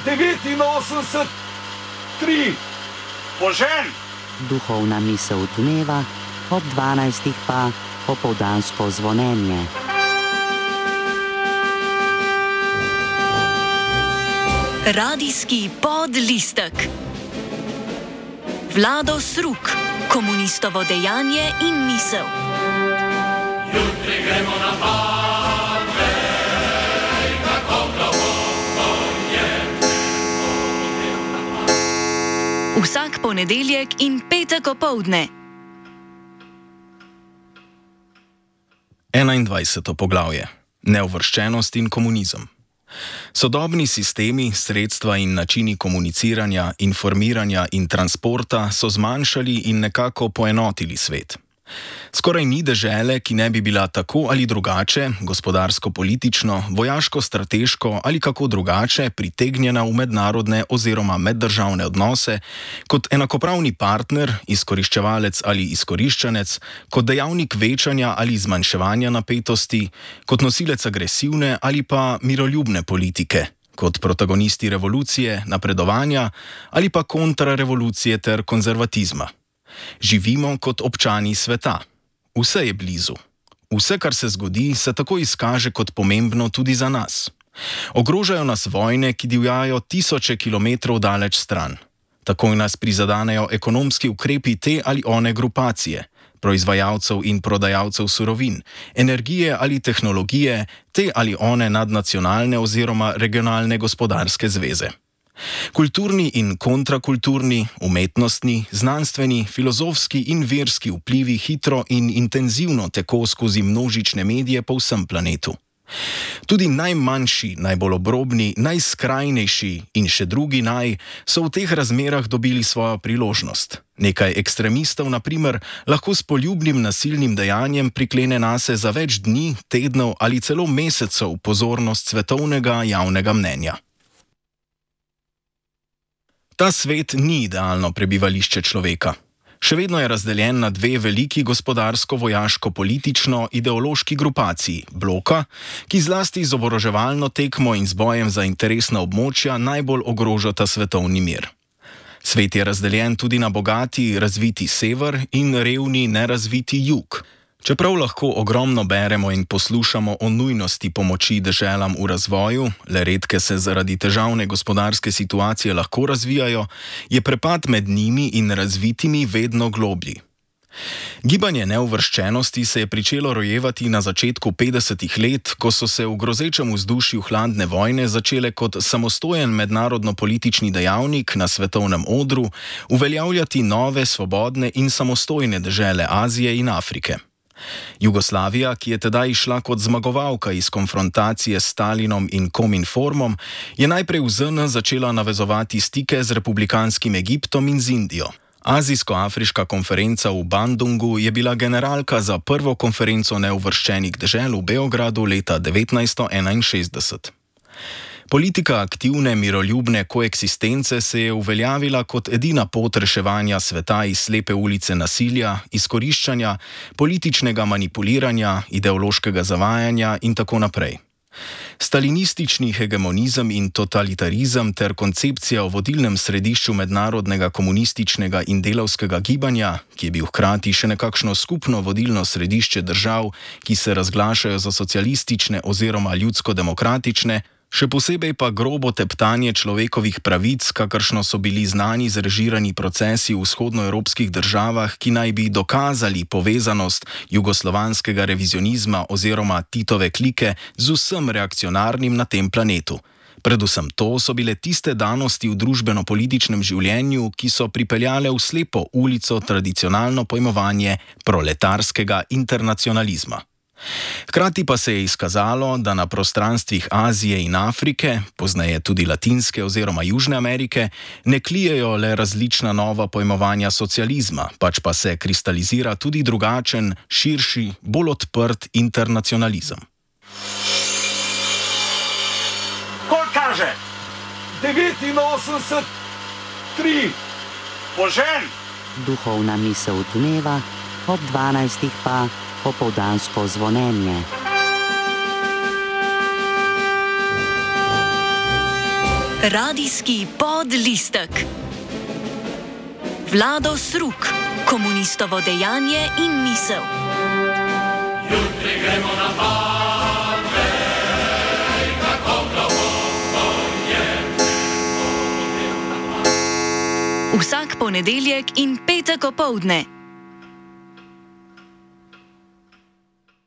89, 3. Požen! Duhovna misel dneva, ob 12. pa popoldansko zvonjenje. Radijski podlistek. Vlado Sruk, komunistovo dejanje in misel. Jutri gremo na Patrej, kako globoko je Vsak ponedeljek in petek opoldne. 21. poglavje. Neuvrščenost in komunizem. Sodobni sistemi, sredstva in načini komuniciranja, informiranja in transporta so zmanjšali in nekako poenotili svet. Skoraj ni dežele, ki ne bi bila tako ali drugače, gospodarsko-politično, vojaško-strateško ali kako drugače pritegnjena v mednarodne oziroma meddržavne odnose kot enakopravni partner, izkoriščevalec ali izkoriščanec, kot dejavnik večanja ali zmanjševanja napetosti, kot nosilec agresivne ali pa miroljubne politike, kot protagonisti revolucije, napredovanja ali pa kontrarevolucije ter konzervatizma. Živimo kot občani sveta. Vse je blizu. Vse, kar se zgodi, se tako izkaže kot pomembno tudi za nas. Ogrožajo nas vojne, ki divjajo tisoče kilometrov daleč stran. Takoj nas prizadanejo ekonomski ukrepi te ali one grupacije, proizvajalcev in prodajalcev surovin, energije ali tehnologije, te ali one nadnacionalne oziroma regionalne gospodarske zveze. Kulturni in kontrakulturni, umetnostni, znanstveni, filozofski in verski vplivi hitro in intenzivno teko skozi množične medije po vsem planetu. Tudi najmanjši, najbolj obrobni, najskrajnejši in še drugi so v teh razmerah dobili svojo priložnost. Nekaj ekstremistov, na primer, lahko s poljubnim nasilnim dejanjem priklene nase za več dni, tednov ali celo mesecev pozornost svetovnega javnega mnenja. Ta svet ni idealno prebivališče človeka. Še vedno je razdeljen na dve veliki gospodarsko-vojaško-politično-ideološki grupaciji, bloka, ki zlasti z oboroževalno tekmo in z bojem za interesna območja najbolj ogrožata svetovni mir. Svet je razdeljen tudi na bogati, razviti sever in revni, nerazviti jug. Čeprav lahko ogromno beremo in poslušamo o nujnosti pomoči deželam v razvoju, le redke se zaradi težavne gospodarske situacije lahko razvijajo, je prepad med njimi in razvitimi vedno globlji. Gibanje neuvrščenosti se je pričelo rojevati na začetku 50. let, ko so se v grozečem vzdušju hladne vojne začele kot samostojen mednarodno-politični dejavnik na svetovnem odru uveljavljati nove, svobodne in samostojne dežele Azije in Afrike. Jugoslavija, ki je tedaj išla kot zmagovalka iz konfrontacije s Stalinom in Kominformom, je najprej v ZN začela navezovati stike z republikanskim Egiptom in z Indijo. Azijsko-afriška konferenca v Bandungu je bila generalka za prvo konferenco neuvrščenih dežel v Beogradu leta 1961. Politika aktivne miroljubne koeksistence se je uveljavila kot edina pot reševanja sveta iz slepe ulice nasilja, izkoriščanja, političnega manipuliranja, ideološkega zavajanja in tako naprej. Stalinistični hegemonizem in totalitarizem ter koncepcija o vodilnem središču mednarodnega komunističnega in delavskega gibanja, ki je bil hkrati še nekakšno skupno vodilno središče držav, ki se razglašajo za socialistične oziroma ljudsko-demokratične, še posebej pa grobo teptanje človekovih pravic, kakršno so bili znani zrežirani procesi v vzhodnoevropskih državah, ki naj bi dokazali povezanost jugoslovanskega revizionizma oziroma Titove klike z vsem reakcionarnim na tem planetu. Predvsem to so bile tiste danosti v družbeno-političnem življenju, ki so pripeljale v slepo ulico tradicionalno pojmovanje proletarskega internacionalizma. Hkrati pa se je izkazalo, da na prostranstvih Azije in Afrike, pozneje tudi Latinske oziroma Južne Amerike, ne klijejo le različna nova pojmovanja socializma, pač pa se kristalizira tudi drugačen, širši, bolj odprt internacionalizem. Koliko kaže? 89, 3. Požen! Duhovna misel dneva, ob 12. pa popoldansko zvonjenje. Radijski podlistek. Vlado Sruk, komunistovo dejanje in misel. Jutri gremo na Pave, kako globoko je. Vsak ponedeljek in petek opoldne